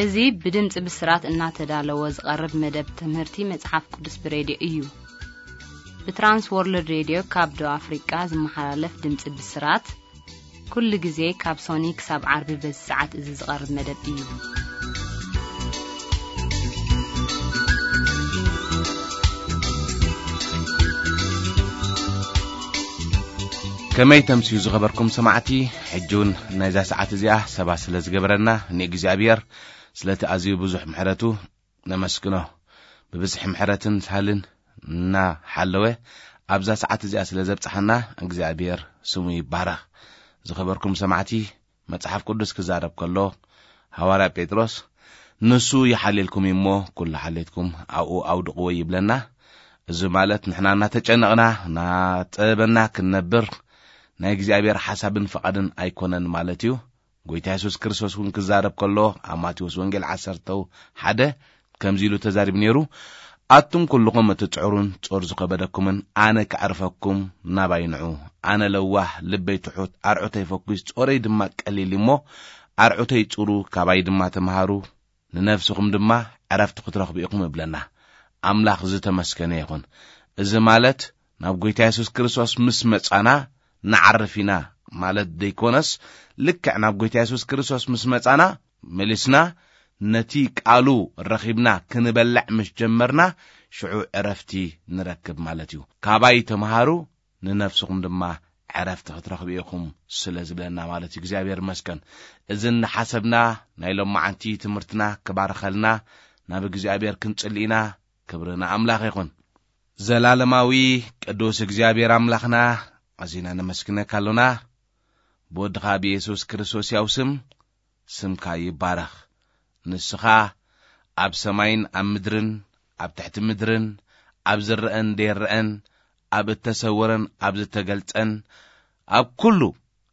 እዚ ብድምፂ ብስራት እናተዳለወ ዝቐርብ መደብ ትምህርቲ መጽሓፍ ቅዱስ ብሬድዮ እዩ። ብትራንስ ወርልድ ሬድዮ ካብ ደቡብ ኣፍሪቃ ዝመሓላለፍ ድምፂ ብስራት፣ ኩሉ ግዜ ካብ ሶኒ ክሳብ ዓርቢ በዚ ሰዓት እዚ ዝቐርብ መደብ እዩ። ከመይ ተምስዩ ዝኸበርኩም ሰማዕቲ፣ ሕጂ እውን ናይዛ ሰዓት እዚኣ ሰባ ስለ ዝገበረና ንእግዚኣብሔር ስለቲ ኣዝዩ ብዙሕ ምሕረቱ ነመስግኖ። ብብዝሒ ምሕረትን ሳህልን እናሓለወ ኣብዛ ሰዓት እዚኣ ስለ ዘብጽሓና እግዚኣብሔር ስሙ ይባረኽ። ዝኸበርኩም ሰማዕቲ፣ መጽሓፍ ቅዱስ ክዛረብ ከሎ ሃዋርያ ጴጥሮስ፣ "ንሱ ይሓልየልኩም እዩ እሞ፣ ኩሉ ሓልየትኩም ኣብኡ ኣውድቕዎ" ይብለና። እዚ ማለት ንሕና እናተጨነቕና፣ እናጠበና ክንነብር ናይ እግዚኣብሔር ሓሳብን ፍቓድን ኣይኮነን ማለት እዩ። ጎይታ የሱስ ክርስቶስ እውን ክዛረብ ከሎ ኣብ ማቴዎስ ወንጌል ዓሰርተ ሓደ ከምዚ ኢሉ ተዛሪቡ ነይሩ፣ "ኣቱም ኩልኹም እትጽዕሩን ጾር ዝኸበደኩምን ኣነ ከዕርፈኩም ናባይ ንዑ። ኣነ ለዋህ፣ ልበይ ትሑት፣ ኣርዑተይ ፈኲስ፣ ጾረይ ድማ ቀሊል እሞ ኣርዑተይ ጽሩ፣ ካባይ ድማ ተምሃሩ፣ ንነፍስኹም ድማ ዕረፍቲ ክትረኽቡ ኢኹም" እብለና። ኣምላኽ ዝተመስገነ ይኹን። እዚ ማለት ናብ ጎይታ የሱስ ክርስቶስ ምስ መጻና ንዓርፍ ኢና ማለት ዘይኮነስ፣ ልክዕ ናብ ጎይታ የሱስ ክርስቶስ ምስ መጻና መሊስና ነቲ ቃሉ ረኺብና ክንበልዕ ምስ ጀመርና፣ ሽዑ ዕረፍቲ ንረክብ ማለት እዩ። "ካባይ ተምሃሩ፣ ንነፍስኹም ድማ ዕረፍቲ ክትረኽቡ ኢኹም" ስለ ዝብለና ማለት እዩ። እግዚኣብሔር ይመስገን። እዚ እናሓሰብና ናይ ሎማዓንቲ ትምህርትና ክባርኸልና ናብ እግዚኣብሔር ክንጽሊ ኢና። ክብሪ ንኣምላኽ ይኹን። ዘላለማዊ ቅዱስ እግዚኣብሔር ኣምላኽና፣ ኣዚና ነመስግነካ ኣሎና። ብወድኻ ብየሱስ ክርስቶስ ያው ስም፣ ስምካ ይባረኽ። ንስኻ ኣብ ሰማይን ኣብ ምድርን፣ ኣብ ትሕቲ ምድርን፣ ኣብ ዝረአን ዘይረአን፣ ኣብ እተሰወረን ኣብ ዝተገልጸን፣ ኣብ ኩሉ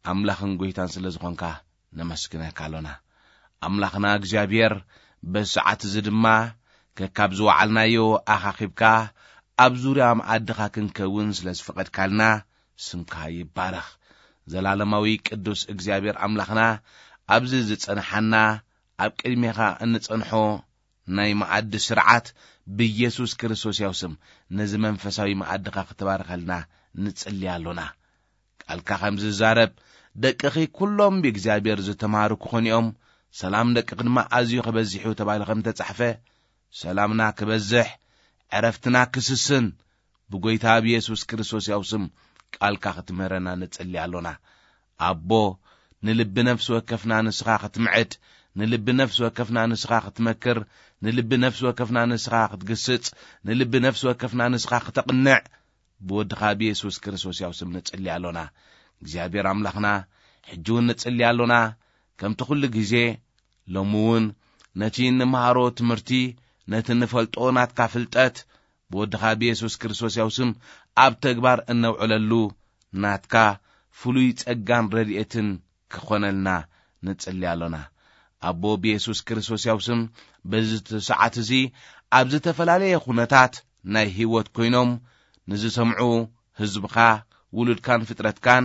ኣምላኽን ጐይታን ስለ ዝኾንካ ነመስግነካ ኣሎና። ኣምላኽና እግዚኣብሔር፣ በዚ ሰዓት እዚ ድማ ከካብ ዝወዓልናዮ ኣኻኺብካ፣ ኣብ ዙርያ መኣድኻ ክንከውን ስለ ዝፈቐድካልና፣ ስምካ ይባረኽ። ዘላለማዊ ቅዱስ እግዚኣብሔር ኣምላኽና፣ ኣብዚ ዝጸንሓና፣ ኣብ ቅድሜኻ እንጸንሖ ናይ መኣዲ ስርዓት፣ ብኢየሱስ ክርስቶስ ያው ስም፣ ነዚ መንፈሳዊ መኣድኻ ክትባርኸልና ንጽሊ ኣሎና። ቃልካ ከም ዝዛረብ፣ "ደቅኺ ኩሎም ብእግዚኣብሔር ዝተማሃሩ ክኾኑ እዮም፣ ሰላም ደቅኺ ድማ ኣዝዩ ክበዝሕ እዩ" ተባሂሉ ከም ተጻሕፈ፣ ሰላምና ክበዝሕ፣ ዕረፍትና ክስስን፣ ብጎይታ ብየሱስ ክርስቶስ ያው ስም ቃልካ ክትምህረና ንጽሊ ኣሎና። ኣቦ፣ ንልቢ ነፍሲ ወከፍና ንስኻ ክትምዕድ፣ ንልቢ ነፍሲ ወከፍና ንስኻ ክትመክር፣ ንልቢ ነፍሲ ወከፍና ንስኻ ክትግስጽ፣ ንልቢ ነፍሲ ወከፍና ንስኻ ክተቕንዕ፣ ብወድኻ ብየሱስ ክርስቶስ ያው ስም ንጽሊ ኣሎና። እግዚኣብሔር ኣምላኽና፣ ሕጂ እውን ንጽሊ ኣሎና። ከምቲ ኩሉ ግዜ፣ ሎሚ እውን ነቲ እንመሃሮ ትምህርቲ፣ ነቲ እንፈልጦ ናትካ ፍልጠት፣ ብወድኻ ብየሱስ ክርስቶስ ያው ስም ኣብ ተግባር እነውዕለሉ ናትካ ፍሉይ ጸጋን ረድኤትን ክኾነልና ንጽሊ ኣሎና። ኣቦ ብየሱስ ክርስቶስ ያው ስም በዚ ሰዓት እዚ ኣብ ዝተፈላለየ ኩነታት ናይ ህይወት ኮይኖም ንዝሰምዑ ህዝብኻ፣ ውሉድካን ፍጥረትካን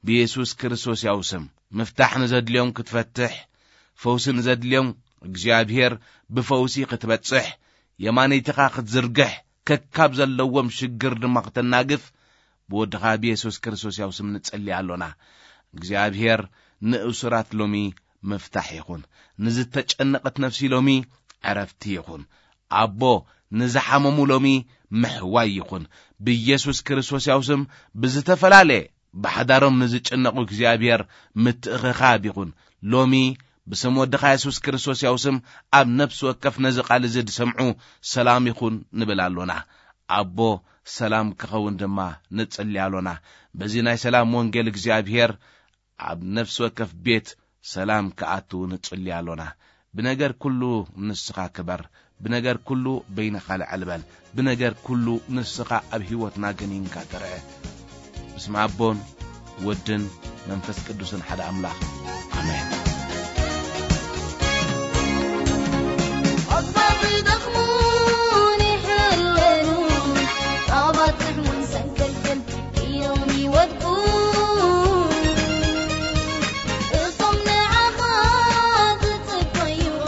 ብየሱስ ክርስቶስ ያው ስም ምፍታሕ ንዘድልዮም ክትፈትሕ፣ ፈውሲ ንዘድልዮም እግዚኣብሔር ብፈውሲ ክትበጽሕ፣ የማነይትኻ ክትዝርግሕ፣ ከካብ ዘለዎም ሽግር ድማ ክተናግፍ ብወድኻ ብየሱስ ክርስቶስ ያው ስም ንጸሊ ኣሎና። እግዚኣብሔር ንእሱራት ሎሚ ምፍታሕ ይኹን። ንዝተጨነቐት ነፍሲ ሎሚ ዕረፍቲ ይኹን። ኣቦ ንዝሓመሙ ሎሚ ምሕዋይ ይኹን። ብየሱስ ክርስቶስ ያው ስም ብዝተፈላለየ ብሓዳሮም ንዝጭነቑ እግዚኣብሔር ምትእኽኻብ ይኹን። ሎሚ ብስም ወድኻ የሱስ ክርስቶስ ያው ስም ኣብ ነፍሲ ወከፍ ነዚ ቃል እዚ ዝሰምዑ ሰላም ይኹን ንብል ኣሎና። ኣቦ ሰላም ክኸውን ድማ ንጽሊ ኣሎና። በዚ ናይ ሰላም ወንጌል እግዚኣብሔር ኣብ ነፍሲ ወከፍ ቤት ሰላም ክኣቱ ንጽሊ ኣሎና። ብነገር ኩሉ ንስኻ ክበር፣ ብነገር ኩሉ በይንኻ ልዕል በል፣ ብነገር ኩሉ ንስኻ ኣብ ህይወትና ገኒንካ ተርአ። ብስመ ኣቦን ወድን መንፈስ ቅዱስን ሓደ ኣምላኽ፣ ኣሜን። ኣግባብ ይደኽሙን ይሕለኑ፣ ኣባጽሕ እውን ሰንክልክል ኢሎም ይወድቁ። እቶም ንዓኻ ዝጽበዩኻ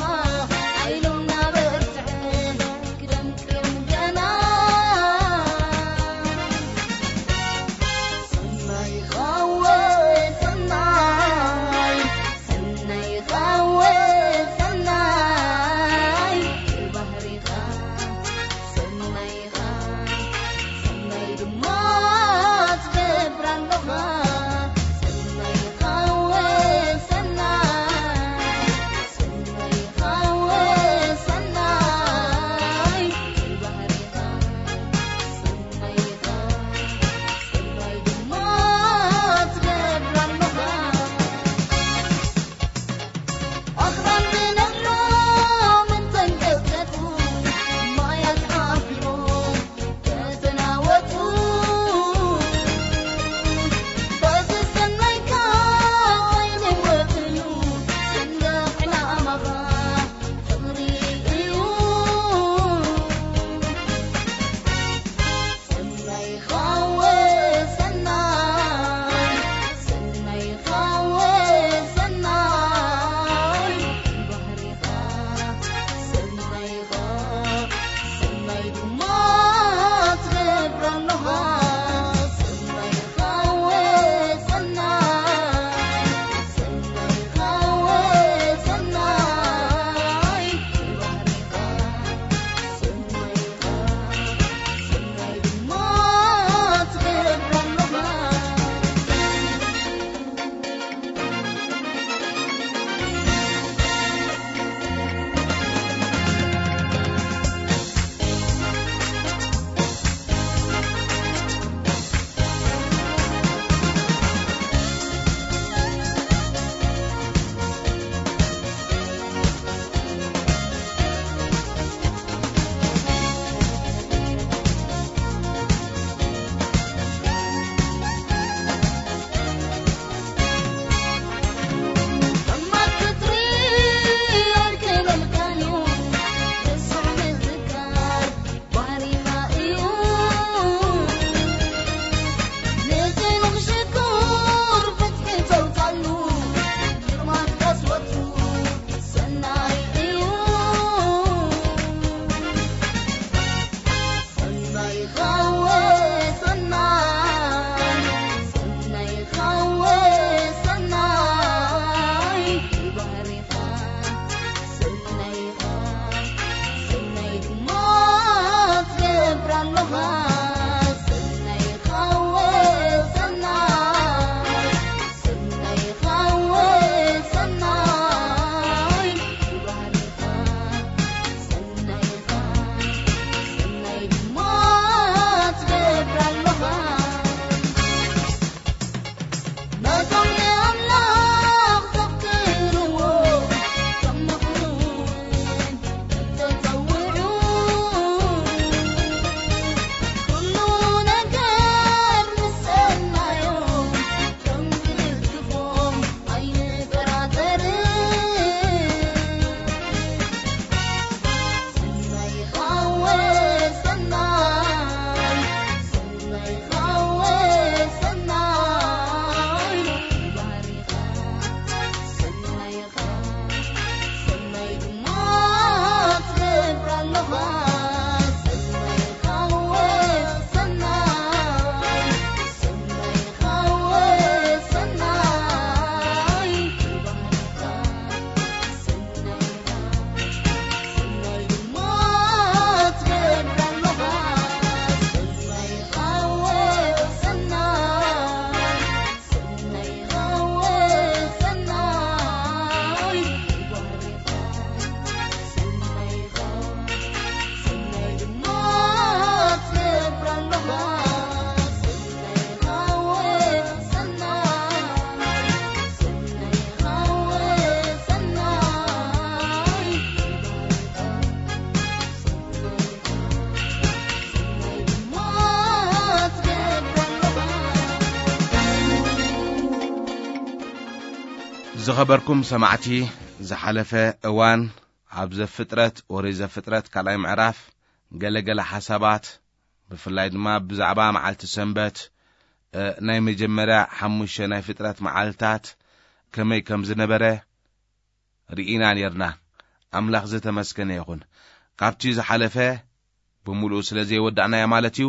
ዝኸበርኩም ሰማዕቲ፣ ዝሓለፈ እዋን ኣብ ዘፍጥረት፣ ወሬ ዘፍጥረት ካልኣይ ምዕራፍ ገለገለ ሓሳባት፣ ብፍላይ ድማ ብዛዕባ መዓልቲ ሰንበት፣ እ፣ ናይ መጀመርያ ሓሙሽተ ናይ ፍጥረት መዓልታት ከመይ ከም ዝነበረ ርኢና ኔርና። ኣምላኽ ዝተመስገነ ይኹን። ካብቲ ዝሓለፈ ብምሉኡ ስለ ዘይወዳእናዮ ማለት እዩ፣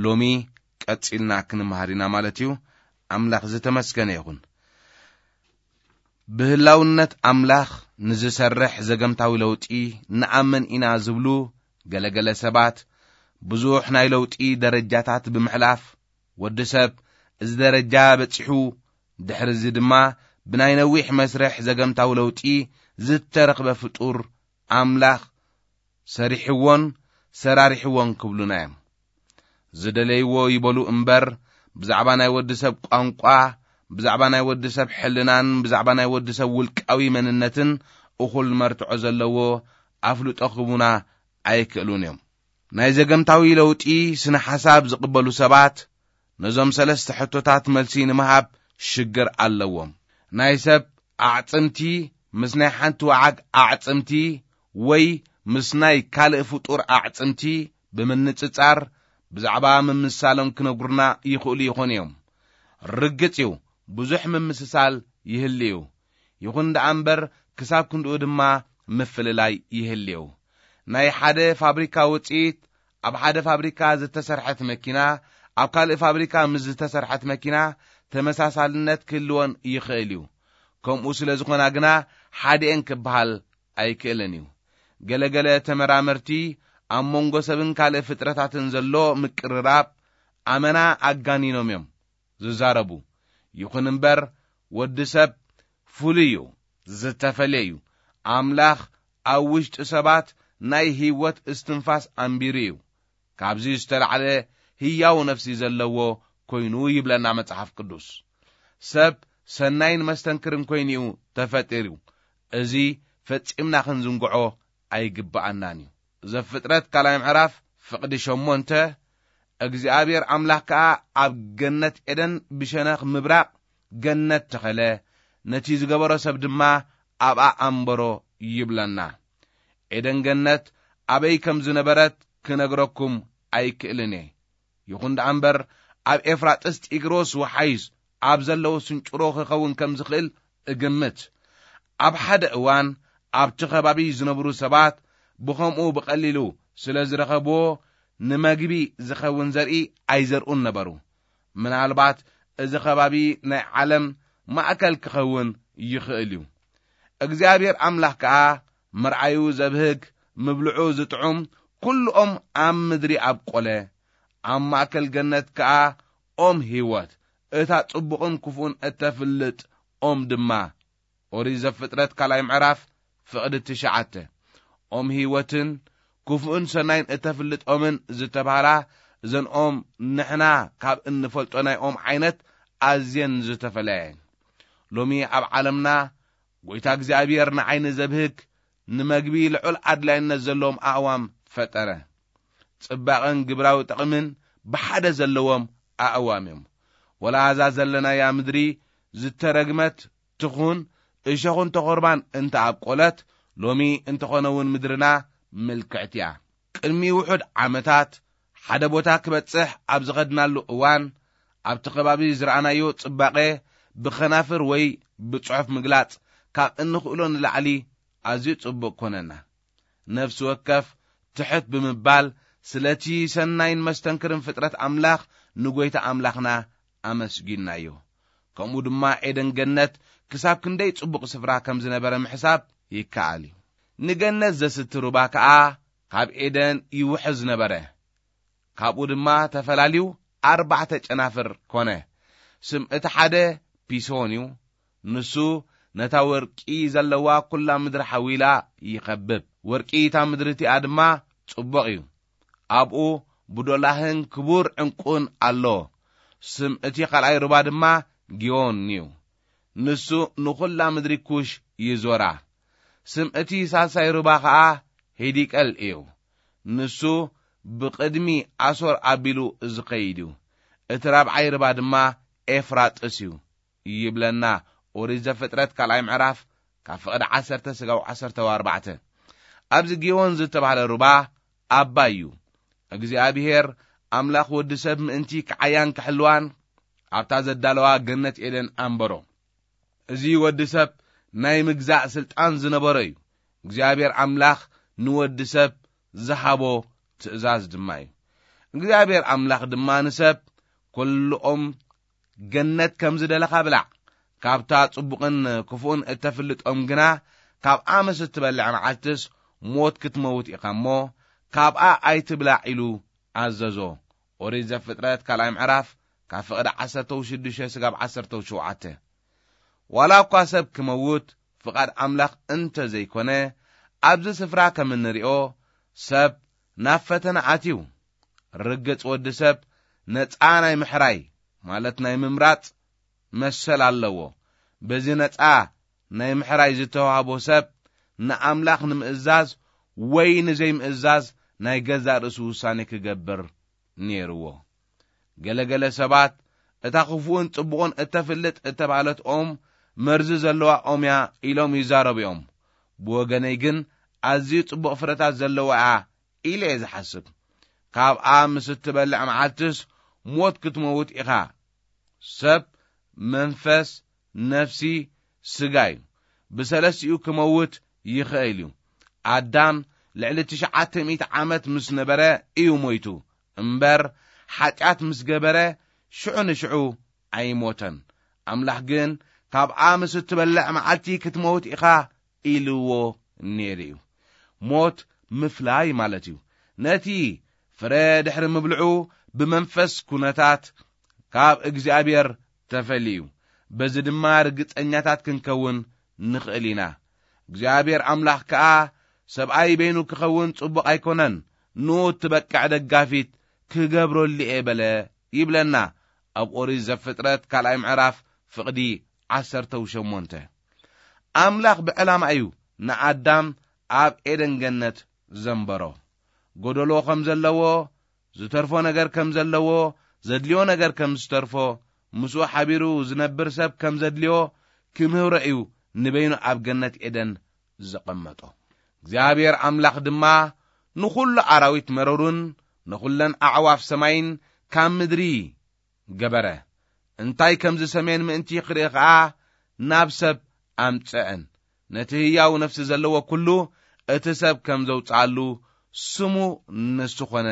ሎሚ ቀጺልና ክንመሃር ኢና ማለት እዩ። ኣምላኽ ዝተመስገነ ይኹን። ብህላውነት ኣምላኽ ንዝሰርሕ ዘገምታዊ ለውጢ ንኣምን ኢና ዝብሉ ገለገለ ሰባት፣ ብዙሕ ናይ ለውጢ ደረጃታት ብምሕላፍ፣ ወዲ ሰብ እዚ ደረጃ በጺሑ፣ ድሕሪ እዚ ድማ ብናይ ነዊሕ መስርሕ ዘገምታዊ ለውጢ ዝተረኽበ ፍጡር ኣምላኽ ሰሪሕዎን ሰራሪሕዎን ክብሉና እዮም። ዝደለይዎ ይበሉ እምበር፣ ብዛዕባ ናይ ወዲ ሰብ ቋንቋ፣ ብዛዕባ ናይ ወዲ ሰብ ሕልናን ብዛዕባ ናይ ወዲ ሰብ ውልቃዊ መንነትን እኹል መርትዖ ዘለዎ ኣፍልጦ ክህቡና ኣይክእሉን እዮም። ናይ ዘገምታዊ ለውጢ ስነ ሓሳብ ዝቕበሉ ሰባት፣ ነዞም ሰለስተ ሕቶታት መልሲ ንምሃብ ሽግር ኣለዎም። ናይ ሰብ ኣዕጽምቲ ምስ ናይ ሓንቲ ወዓግ ኣዕጽምቲ ወይ ምስ ናይ ካልእ ፍጡር ኣዕጽምቲ ብምንጽጻር፣ ብዛዕባ ምምስሳሎም ክነግሩና ይኽእሉ ይኾኑ እዮም። ርግጽ እዩ፣ ብዙሕ ምምስሳል ይህልዩ። ይኹን ደኣ እምበር፣ ክሳብ ክንድኡ ድማ ምፍልላይ ይህልዩ። ናይ ሓደ ፋብሪካ ውጽኢት፣ ኣብ ሓደ ፋብሪካ ዝተሰርሐት መኪና፣ ኣብ ካልእ ፋብሪካ ምስ ዝተሰርሐት መኪና ተመሳሳልነት ክህልወን ይኽእል እዩ። ከምኡ ስለ ዝኾና ግና፣ ሓዲኤን ክበሃል ኣይክእልን እዩ። ገለገለ ተመራመርቲ፣ ኣብ መንጎ ሰብን ካልእ ፍጥረታትን ዘሎ ምቅርራብ ኣመና ኣጋኒኖም እዮም ዝዛረቡ። ይኹን እምበር፣ ወዲ ሰብ ፍሉይ እዩ፣ ዝተፈልየ እዩ። ኣምላኽ ኣብ ውሽጢ ሰባት ናይ ህይወት እስትንፋስ ኣንቢሩ እዩ። ካብዚ ዝተላዕለ ህያው ነፍሲ ዘለዎ ኮይኑ ይብለና መጽሓፍ ቅዱስ። ሰብ ሰናይን መስተንክርን ኮይኑ እዩ ተፈጢሩ። እዚ ፈጺምና ክንዝንግዖ ኣይግብኣናን እዩ። ዘፍጥረት ካልኣይ ምዕራፍ ፍቕዲ ሸሞንተ፣ እግዚኣብሔር ኣምላኽ ከኣ ኣብ ገነት ኤደን ብሸነኽ ምብራቕ ገነት ተኸለ፣ ነቲ ዝገበሮ ሰብ ድማ ኣብኣ ኣንበሮ ይብለና። ኤደን ገነት ኣበይ ከም ዝነበረት ክነግረኩም ኣይክእልን እየ። ይኹን ደኣ እምበር፣ ኣብ ኤፍራጥስ ጢግሮስ ወሓይዝ ኣብ ዘለዉ ስንጭሮ ክኸውን ከም ዝኽእል እግምት። ኣብ ሓደ እዋን ኣብቲ ከባቢ ዝነብሩ ሰባት ብኸምኡ ብቐሊሉ ስለ ዝረኸብዎ፣ ንመግቢ ዝኸውን ዘርኢ ኣይዘርኡን ነበሩ። ምናልባት እዚ ከባቢ ናይ ዓለም ማእከል ክኸውን ይኽእል እዩ። እግዚኣብሔር ኣምላኽ ከኣ መርዓዩ ዘብህግ፣ ምብልዑ ዝጥዑም፣ ኩሉ ኦም ኣብ ምድሪ ኣብቆለ። ኣብ ማእከል ገነት ከኣ ኦም ህይወት፣ እታ ጽቡቕን ክፉእን እተፍልጥ ኦም ድማ። ኦሪት ዘፍጥረት ካልኣይ ምዕራፍ ፍቕዲ ትሽዓተ። ኦም ህይወትን ክፉእን ሰናይን እተፍልጥ ኦምን ዝተባህላ፣ እዘን ኦም ንሕና ካብ እንፈልጦ ናይ ኦም ዓይነት ኣዝየን ዝተፈለያ እየን። ሎሚ ኣብ ዓለምና፣ ጐይታ እግዚኣብሔር ንዓይኒ ዘብህግ፣ ንመግቢ ልዑል ኣድላይነት ዘለዎም ኣእዋም ፈጠረ። ጽባቐን ግብራዊ ጥቕምን ብሓደ ዘለዎም ኣእዋም እዮም። ወላ እዛ ዘለናያ ምድሪ ዝተረግመት ትኹን፣ እሾኽን ተኾርባን እንተ ኣብቆለት፣ ሎሚ እንተኾነ እውን ምድርና ምልክዕቲ እያ። ቅድሚ ውሑድ ዓመታት ሓደ ቦታ ክበጽሕ ኣብ ዝኸድናሉ እዋን፣ ኣብቲ ከባቢ ዝረኣናዮ ጽባቐ ብኸናፍር ወይ ብጽሑፍ ምግላጽ ካብ እንኽእሎ ንላዕሊ ኣዝዩ ጽቡቕ ኮነና። ነፍሲ ወከፍ ትሕት ብምባል፣ ስለቲ ሰናይን መስተንክርን ፍጥረት ኣምላኽ ንጐይታ ኣምላኽና ኣመስጊንናዮ። ከምኡ ድማ ኤደን ገነት ክሳብ ክንደይ ጽቡቕ ስፍራ ከም ዝነበረ ምሕሳብ ይከኣል እዩ። ንገነት ዘስቲ ሩባ ከኣ ካብ ኤደን ይውሕዝ ነበረ። ካብኡ ድማ ተፈላልዩ ኣርባዕተ ጨናፍር ኮነ። ስም እቲ ሓደ ፒሶን እዩ። ንሱ ነታ ወርቂ ዘለዋ ኵላ ምድሪ ሓዊላ ይኸብብ። ወርቂ እታ ምድሪ እቲኣ ድማ ጽቡቕ እዩ። ኣብኡ ብዶላህን ክቡር ዕንቁን ኣሎ። ስም እቲ ካልኣይ ሩባ ድማ ጊዮን እዩ። ንሱ ንኹላ ምድሪ ኩሽ ይዞራ። ስም እቲ ሳልሳይ ሩባ ኸኣ ሂዲቀል እዩ። ንሱ ብቕድሚ ኣሶር ኣቢሉ ዝኸይድ እዩ። እቲ ራብዓይ ሩባ ድማ ኤፍራጥስ እዩ ይብለና ኦሪት ዘፍጥረት ካልኣይ ምዕራፍ ካብ ፍቕዲ ዓሰርተ ስጋብ ዓሰርተ ኣርባዕተ። ኣብዚ ጊዮን ዝተባህለ ሩባ ኣባይ እዩ። እግዚኣብሔር ኣምላኽ ወዲ ሰብ ምእንቲ ክዓያን ክሕልዋን ኣብታ ዘዳለዋ ገነት ኤደን ኣንበሮ። እዚ ወዲ ሰብ ናይ ምግዛእ ስልጣን ዝነበሮ እዩ። እግዚኣብሔር ኣምላኽ ንወዲ ሰብ ዝሃቦ ትእዛዝ ድማ እዩ። እግዚኣብሔር ኣምላኽ ድማ ንሰብ፣ "ኩልኦም ገነት ከም ዝደለኻ ብላዕ፣ ካብታ ጽቡቕን ክፉእን እተፍልጦም ግና፣ ካብኣ ምስ እትበልዕ መዓልትስ ሞት ክትመውት ኢኻ እሞ፣ ካብኣ ኣይትብላዕ" ኢሉ ኣዘዞ። ኦሪት ዘፍጥረት ካልኣይ ምዕራፍ ካብ ፍቕዲ ዓሰርተ ሽዱሽተ ስጋብ ዓሰርተ ሸውዓተ። ዋላ እኳ ሰብ ክመውት ፍቓድ ኣምላኽ እንተ ዘይኮነ፣ ኣብዚ ስፍራ ከም እንሪኦ፣ ሰብ ናብ ፈተና ኣትዩ። ርግጽ ወዲ ሰብ ነጻ ናይ ምሕራይ፣ ማለት ናይ ምምራጽ መሰል ኣለዎ። በዚ ነጻ ናይ ምሕራይ ዝተዋህቦ ሰብ ንኣምላኽ ንምእዛዝ ወይ ንዘይምእዛዝ ናይ ገዛእ ርእሱ ውሳኔ ክገብር ነይርዎ። ገለገለ ሰባት፣ "እታ ክፉእን ጽቡቕን እተፍልጥ እተባህለት ኦም መርዚ ዘለዋ ኦም እያ" ኢሎም ይዛረቡ እዮም። ብወገነይ ግን ኣዝዩ ጽቡቕ ፍረታት ዘለዋ እያ ኢለ እየ ዝሓስብ። "ካብኣ ምስ እትበልዕ መዓልትስ ሞት ክትመውት ኢኻ።" ሰብ፣ መንፈስ፣ ነፍሲ፣ ስጋ እዩ። ብሰለስቲኡ ክመውት ይኽእል እዩ። ኣዳም ልዕሊ ትሽዓተ ሚእቲ ዓመት ምስ ነበረ እዩ ሞይቱ እምበር፣ ሓጢኣት ምስ ገበረ ሽዑ ንሽዑ ኣይሞተን። ኣምላኽ ግን፣ "ካብኣ ምስ እትበልዕ መዓልቲ ክትመውት ኢኻ" ኢልዎ ነይሩ እዩ። ሞት ምፍላይ ማለት እዩ። ነቲ ፍረ ድሕሪ ምብልዑ ብመንፈስ ኩነታት ካብ እግዚኣብሔር ተፈልዩ። በዚ ድማ ርግጸኛታት ክንከውን ንኽእል ኢና። እግዚኣብሔር ኣምላኽ ከኣ፣ "ሰብኣይ በይኑ ክኸውን ጽቡቕ ኣይኮነን፣ ንኡ እትበቅዕ ደጋፊት ክገብረሉ እየ" በለ ይብለና ኣብ ኦሪት ዘፍጥረት ካልኣይ ምዕራፍ ፍቕዲ ዓሰርተ ሸሞንተ። ኣምላኽ ብዕላማ እዩ ንኣዳም ኣብ ኤደን ገነት ዘንበሮ። ጎደሎ ከም ዘለዎ፣ ዝተርፎ ነገር ከም ዘለዎ፣ ዘድልዮ ነገር ከም ዝተርፎ፣ ምስኡ ሓቢሩ ዝነብር ሰብ ከም ዘድልዮ ክምህሮ እዩ ንበይኑ ኣብ ገነት ኤደን ዘቐመጦ። እግዚኣብሔር ኣምላኽ ድማ ንኹሉ ኣራዊት መረሩን ንኹለን ኣዕዋፍ ሰማይን ካብ ምድሪ ገበረ። እንታይ ከም ዝሰምየን ምእንቲ ክርኢ ኸኣ ናብ ሰብ ኣምጽአን። ነቲ ህያው ነፍሲ ዘለዎ ኩሉ እቲ ሰብ ከም ዘውጽኣሉ ስሙ ንሱ ኾነ።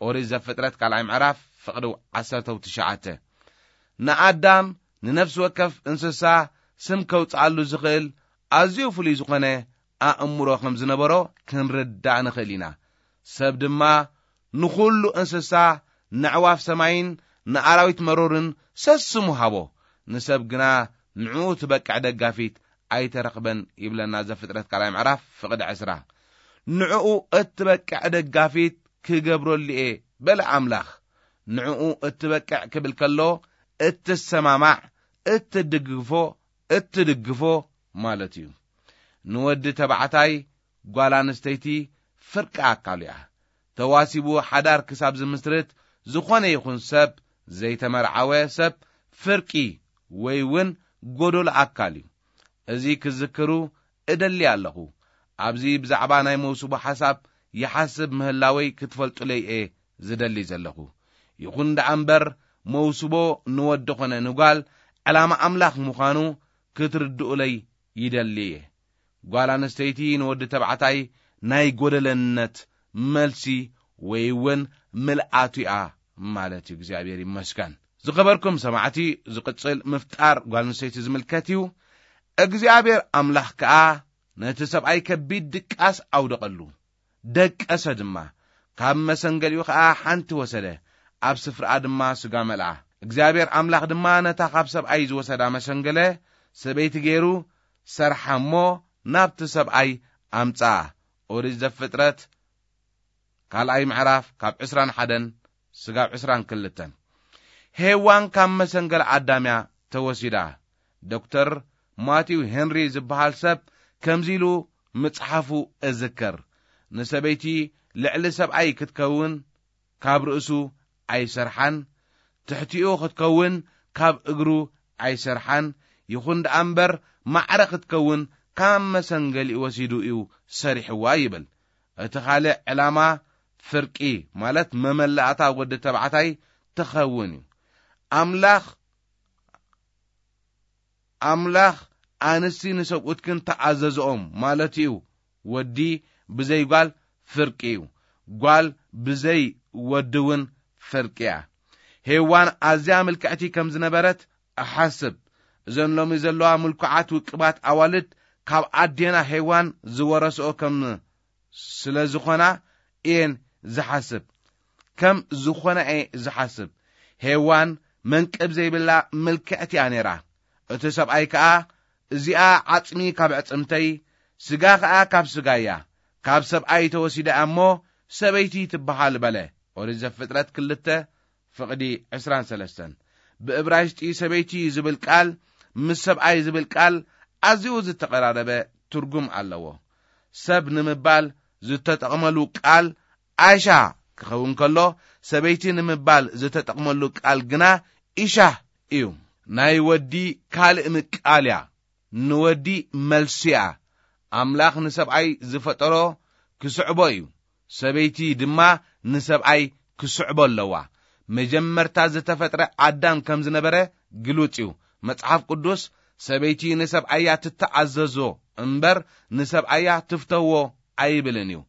ኦሪት ዘፍጥረት ካልኣይ ምዕራፍ ፍቕዲ ዓሰርተ ትሽዓተ። ንኣዳም ንነፍሲ ወከፍ እንስሳ ስም ከውጽኣሉ ዝኽእል ኣዝዩ ፍሉይ ዝኾነ ኣእምሮ ከም ዝነበሮ ክንርዳእ ንኽእል ኢና። ሰብ ድማ ንኹሉ እንስሳ፣ ነዕዋፍ ሰማይን ንኣራዊት መሮርን ሰስሙ ሃቦ። ንሰብ ግና ንዕኡ ትበቅዕ ደጋፊት ኣይተረኽበን ይብለና ዘፍጥረት ካልኣይ ምዕራፍ ፍቕዲ ዕስራ። ንዕኡ እትበቅዕ ደጋፊት ክገብረሉ እየ በለ ኣምላኽ። ንዕኡ እትበቅዕ ክብል ከሎ እትሰማማዕ፣ እትድግፎ፣ እትድግፎ ማለት እዩ። ንወዲ ተባዕታይ ጓል ኣንስተይቲ ፍርቂ ኣካሉ እያ። ተዋሲቡ ሓዳር ክሳብ ዝምስርት ዝኾነ ይኹን ሰብ፣ ዘይተመርዓወ ሰብ ፍርቂ ወይ እውን ጎዶሎ ኣካል እዩ። እዚ ክዝክሩ እደሊ ኣለኹ። ኣብዚ ብዛዕባ ናይ መውስቦ ሓሳብ ይሓስብ ምህላወይ ክትፈልጡለይ እየ ዝደሊ ዘለኹ። ይኹን ደኣ እምበር፣ መውስቦ ንወዲ ኾነ ንጓል ዕላማ ኣምላኽ ምዃኑ ክትርድኡለይ ይደሊ እየ። ጓል ኣንስተይቲ ንወዲ ተባዕታይ ናይ ጎደለነት መልሲ ወይ እውን ምልኣቱ እያ ማለት እዩ። እግዚኣብሔር ይመስገን። ዝኸበርኩም ሰማዕቲ፣ ዝቕጽል ምፍጣር ጓል ኣንስተይቲ ዝምልከት እዩ። እግዚኣብሔር ኣምላኽ ከኣ ነቲ ሰብኣይ ከቢድ ድቃስ ኣውደቐሉ፣ ደቀሰ ድማ። ካብ መሰንገሊኡ ኸኣ ሓንቲ ወሰደ፣ ኣብ ስፍራኣ ድማ ስጋ መልኣ። እግዚኣብሔር ኣምላኽ ድማ ነታ ካብ ሰብኣይ ዝወሰዳ መሰንገለ፣ ሰበይቲ ገይሩ ሰርሓ እሞ ናብቲ ሰብኣይ ኣምጽኣ። ኦሪት ዘፍጥረት ካልኣይ ምዕራፍ ካብ ዕስራን ሓደን ስጋብ ዕስራን ክልተን። ሄዋን ካብ መሰንገል ኣዳም እያ ተወሲዳ። ዶክተር ማቲው ሄንሪ ዝበሃል ሰብ ከምዚ ኢሉ ምጽሓፉ እዝከር፣ "ንሰበይቲ ልዕሊ ሰብኣይ ክትከውን ካብ ርእሱ ኣይሰርሓን፣ ትሕቲኡ ክትከውን ካብ እግሩ ኣይሰርሓን፣ ይኹን ደኣ እምበር ማዕረ ክትከውን ካብ መሰንገሊኡ ወሲዱ እዩ ሰሪሕዋ ይብል። እቲ ካልእ ዕላማ ፍርቂ፣ ማለት መመላእታ ወዲ ተባዕታይ ትኸውን እዩ። ኣምላኽ ኣምላኽ ኣንስቲ ንሰብኡትክን ተኣዘዝኦም ማለት እዩ። ወዲ ብዘይ ጓል ፍርቂ እዩ። ጓል ብዘይ ወዲ እውን ፍርቂ እያ። ሄዋን ኣዝያ ምልክዕቲ ከም ዝነበረት እሓስብ። እዘን ሎሚ ዘለዋ ምልኩዓት ውቅባት ኣዋልድ ካብ ኣዴና ሄዋን ዝወረስኦ ከም ስለ ዝኾና እየን ዝሓስብ። ከም ዝኾነ እየ ዝሓስብ። ሄዋን መንቅብ ዘይብላ ምልክዕቲ እያ ነይራ። እቲ ሰብኣይ ከኣ፣ "እዚኣ ዓጽሚ ካብ ዕጽምተይ፣ ስጋ ከኣ ካብ ስጋይ እያ፣ ካብ ሰብኣይ ተወሲዳ እያ እሞ ሰበይቲ ትበሃል" በለ። ኦሪት ዘፍጥረት ክልተ ፍቕዲ ዕስራን ሰለስተን። ብእብራይስጢ ሰበይቲ ዝብል ቃል ምስ ሰብኣይ ዝብል ቃል ኣዝዩ ዝተቐራረበ ትርጉም ኣለዎ። ሰብ ንምባል ዝተጠቕመሉ ቃል ኣሻ ክኸውን ከሎ፣ ሰበይቲ ንምባል ዝተጠቕመሉ ቃል ግና ኢሻህ እዩ። ናይ ወዲ ካልእ ምቃል እያ። ንወዲ መልሲ እያ። ኣምላኽ ንሰብኣይ ዝፈጠሮ ክስዕቦ እዩ። ሰበይቲ ድማ ንሰብኣይ ክስዕቦ ኣለዋ። መጀመርታ ዝተፈጥረ ኣዳም ከም ዝነበረ ግሉጽ እዩ። መጽሓፍ ቅዱስ፣ "ሰበይቲ ንሰብኣያ ትተኣዘዞ እምበር ንሰብኣያ ትፍተዎ ኣይብልን እዩ።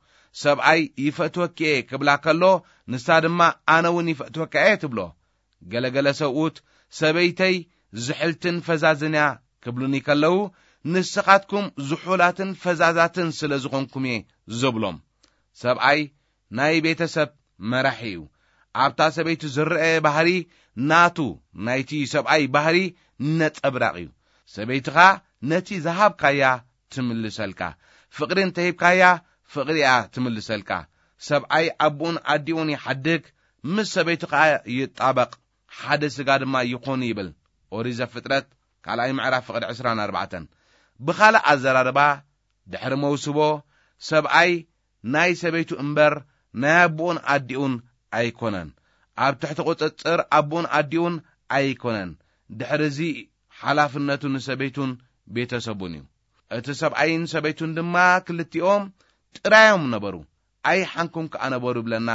ሰብኣይ ይፈትወኪ እየ ክብላ ከሎ፣ ንሳ ድማ ኣነ እውን ይፈትወካ እየ" ትብሎ። ገለገለ ሰብኡት፣ "ሰበይተይ ዝሕልትን ፈዛዝን እያ" ክብሉኒ ከለዉ፣ "ንስኻትኩም ዝሑላትን ፈዛዛትን ስለ ዝኾንኩም እየ" ዝብሎም። ሰብኣይ ናይ ቤተሰብ መራሒ እዩ። ኣብታ ሰበይቲ ዝረአ ባህሪ ናቱ፣ ናይቲ ሰብኣይ ባህሪ ነጸብራቕ እዩ። ሰበይትኻ ነቲ ዝሃብካያ ትምልሰልካ። ፍቕሪ እንተሂብካያ፣ ፍቕሪ እያ ትምልሰልካ። ሰብኣይ ኣቦኡን ኣዲኡን ይሓድግ፣ ምስ ሰበይቱ ከኣ ይጣበቕ፣ ሓደ ስጋ ድማ ይኾኑ ይብል። ኦሪት ዘፍጥረት ካልኣይ ምዕራፍ ፍቕዲ ዕስራን ኣርባዕተን። ብኻልእ ኣዘራርባ፣ ድሕሪ መውስቦ፣ ሰብኣይ ናይ ሰበይቱ እምበር ናይ ኣቦኡን ኣዲኡን ኣይኮነን። ኣብ ትሕቲ ቁጽጽር ኣቦኡን ኣዲኡን ኣይኮነን። ድሕሪ እዚ ሓላፍነቱ ንሰበይቱን ቤተሰቡን እዩ። እቲ ሰብኣይን ሰበይቱን ድማ ክልቲኦም ጥራዮም ነበሩ፣ ኣይሓንኩም ከኣ ነበሩ ይብለና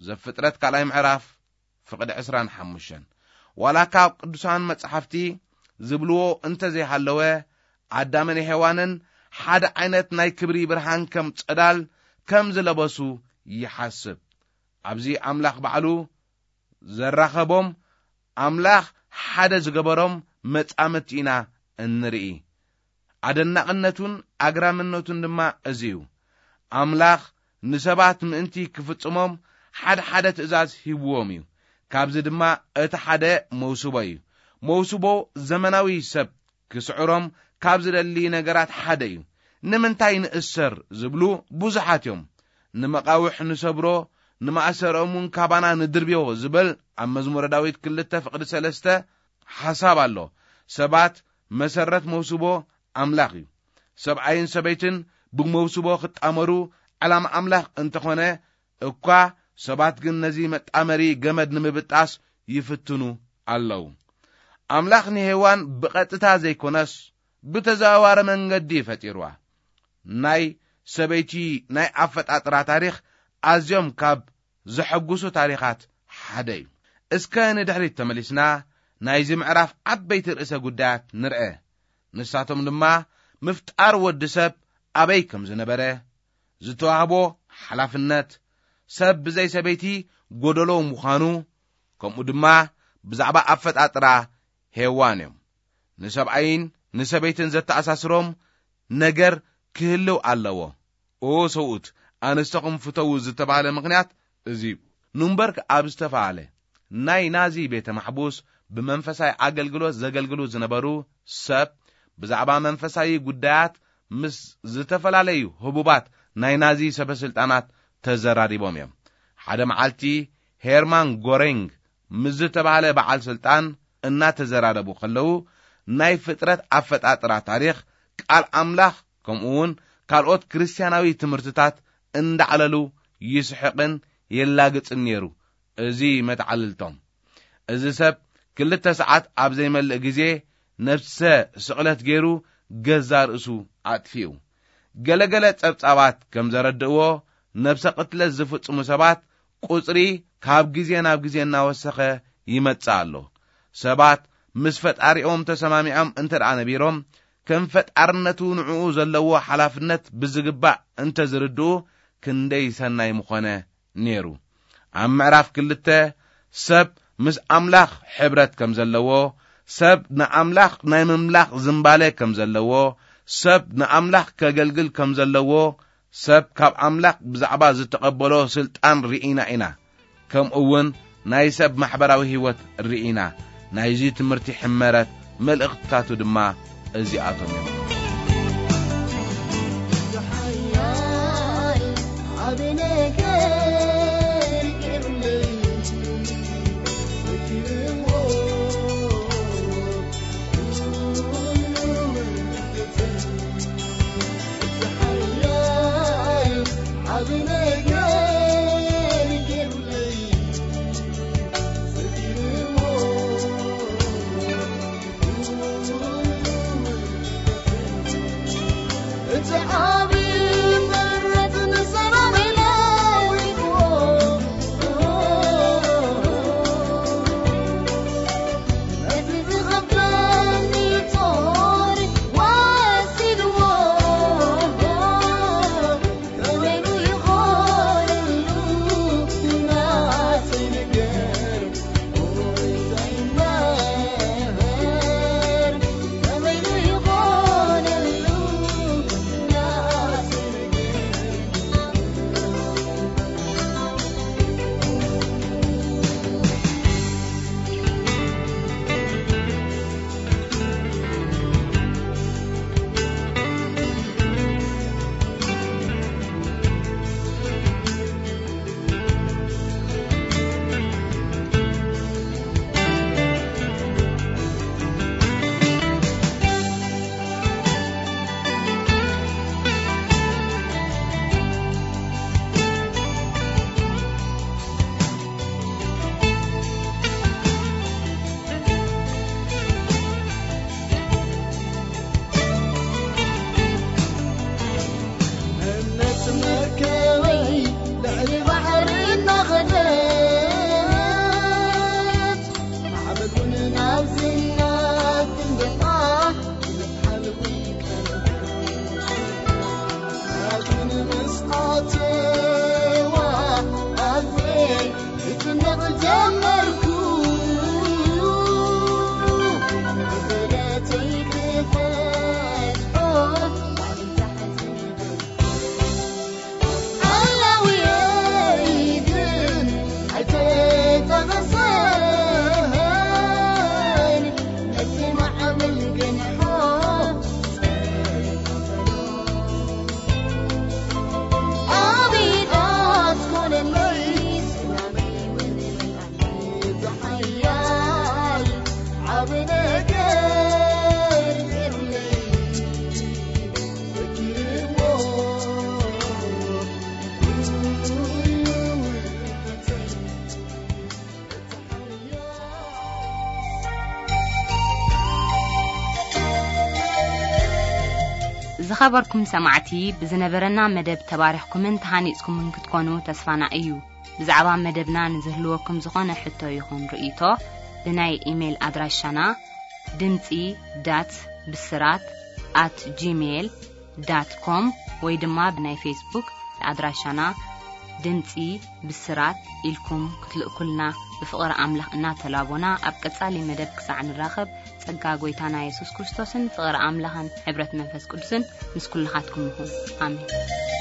ዘፍጥረት ካልኣይ ምዕራፍ ፍቕዲ ዕስራን ሓሙሽተን። ዋላ ካብ ቅዱሳን መጻሕፍቲ ዝብልዎ እንተ ዘይሃለወ፣ ኣዳምን ሄዋንን ሓደ ዓይነት ናይ ክብሪ ብርሃን ከም ጸዳል ከም ዝለበሱ ይሓስብ። ኣብዚ ኣምላኽ ባዕሉ ዘራኸቦም፣ ኣምላኽ ሓደ ዝገበሮም መጻምድቲ ኢና እንርኢ። ኣደናቕነቱን ኣግራምነቱን ድማ እዚ እዩ። ኣምላኽ ንሰባት ምእንቲ ክፍጽሞም ሓደ ሓደ ትእዛዝ ሂብዎም እዩ። ካብዚ ድማ እቲ ሓደ መውስቦ እዩ። መውስቦ ዘመናዊ ሰብ ክስዕሮም ካብ ዝደሊ ነገራት ሓደ እዩ። "ንምንታይ ንእሰር?" ዝብሉ ብዙሓት እዮም። "ንመቓውሕ ንሰብሮ፣ ንማእሰርኦም እውን ካባና ንድርብዮ" ዝብል ኣብ መዝሙረ ዳዊት ክልተ ፍቕዲ ሰለስተ ሓሳብ ኣሎ። ሰባት መሰረት መውስቦ ኣምላኽ እዩ። ሰብኣይን ሰበይትን ብመውስቦ ክጣመሩ ዕላማ ኣምላኽ እንተኾነ እኳ፣ ሰባት ግን ነዚ መጣመሪ ገመድ ንምብጣስ ይፍትኑ ኣለዉ። ኣምላኽ ንሄዋን ብቐጥታ ዘይኮነስ ብተዘዋዋሪ መንገዲ እዩ ፈጢርዋ። ናይ ሰበይቲ ናይ ኣፈጣጥራ ታሪኽ ኣዝዮም ካብ ዘሐጉሱ ታሪኻት ሓደ እዩ። እስከ ንድሕሪት ተመሊስና ናይዚ ምዕራፍ ዓበይቲ ርእሰ ጉዳያት ንርአ። ንሳቶም ድማ ምፍጣር ወዲ ሰብ ኣበይ ከም ዝነበረ፣ ዝተዋህቦ ሓላፍነት፣ ሰብ ብዘይ ሰበይቲ ጎደሎ ምዃኑ፣ ከምኡ ድማ ብዛዕባ ኣፈጣጥራ ሄዋን እዮም። ንሰብኣይን ንሰበይትን ዘተኣሳስሮም ነገር ክህልው ኣለዎ። "ኦ ሰብኡት፣ ኣንስተኹም ፍተዉ" ዝተባህለ ምኽንያት እዚ እዩ። ኑምበርግ ኣብ ዝተባህለ ናይ ናዚ ቤተ ማሕቡስ ብመንፈሳዊ ኣገልግሎት ዘገልግሉ ዝነበሩ ሰብ ብዛዕባ መንፈሳዊ ጉዳያት ምስ ዝተፈላለዩ ህቡባት ናይ ናዚ ሰበስልጣናት ተዘራሪቦም እዮም። ሓደ መዓልቲ ሄርማን ጎሬንግ ምስ ዝተባህለ በዓል ስልጣን እናተዘራረቡ ከለዉ፣ ናይ ፍጥረት ኣፈጣጥራ ታሪኽ፣ ቃል ኣምላኽ፣ ከምኡ እውን ካልኦት ክርስትያናዊ ትምህርትታት እንዳዕለሉ ይስሕቕን የላግጽን ነይሩ። እዚ መተዓልልቶም፣ እዚ ሰብ ክልተ ሰዓት ኣብ ዘይመልእ ግዜ ነፍሰ ስቕለት ገይሩ ገዛ ርእሱ ኣጥፊኡ። ገለገለ ጸብጻባት ከም ዘረድእዎ፣ ነፍሰ ቅትለት ዝፍጽሙ ሰባት ቁጽሪ ካብ ግዜ ናብ ግዜ እናወሰኸ ይመጽእ ኣሎ። ሰባት ምስ ፈጣሪኦም ተሰማሚዖም እንተ ደኣ ነቢሮም፣ ከም ፈጣርነቱ ንዕኡ ዘለዎ ሓላፍነት ብዝግባእ እንተ ዝርድኡ፣ ክንደይ ሰናይ ምኾነ ነይሩ። ኣብ ምዕራፍ ክልተ፣ ሰብ ምስ ኣምላኽ ሕብረት ከም ዘለዎ፣ ሰብ ንኣምላኽ ናይ ምምላኽ ዝንባለ ከም ዘለዎ፣ ሰብ ንኣምላኽ ከገልግል ከም ዘለዎ፣ ሰብ ካብ ኣምላኽ ብዛዕባ ዝተቐበሎ ስልጣን ርኢና ኢና። ከምኡ እውን ናይ ሰብ ማሕበራዊ ህይወት ርኢና። ናይዚ ትምህርቲ ሕመረት መልእኽትታቱ ድማ እዚኣቶም እዮም። ዝኸበርኩም ሰማዕቲ፣ ብዝነበረና መደብ ተባሪኽኩምን ተሃኒጽኩምን ክትኮኑ ተስፋና እዩ። ብዛዕባ መደብና ንዝህልወኩም ዝኾነ ሕቶ ይኹን ርእይቶ፣ ብናይ ኢሜይል ኣድራሻና ድምጺ ዳት ብስራት ኣት ጂሜይል ዳት ኮም ወይ ድማ ብናይ ፌስቡክ ኣድራሻና ድምጺ ብስራት ኢልኩም ክትልእኩልና ብፍቕሪ ኣምላኽ እናተላቦና፣ ኣብ ቀጻሊ መደብ ክሳዕ ንራኸብ፣ ጸጋ ጐይታና የሱስ ክርስቶስን ፍቕሪ ኣምላኽን ሕብረት መንፈስ ቅዱስን ምስ ኩልኻትኩም ይኹን። ኣሜን።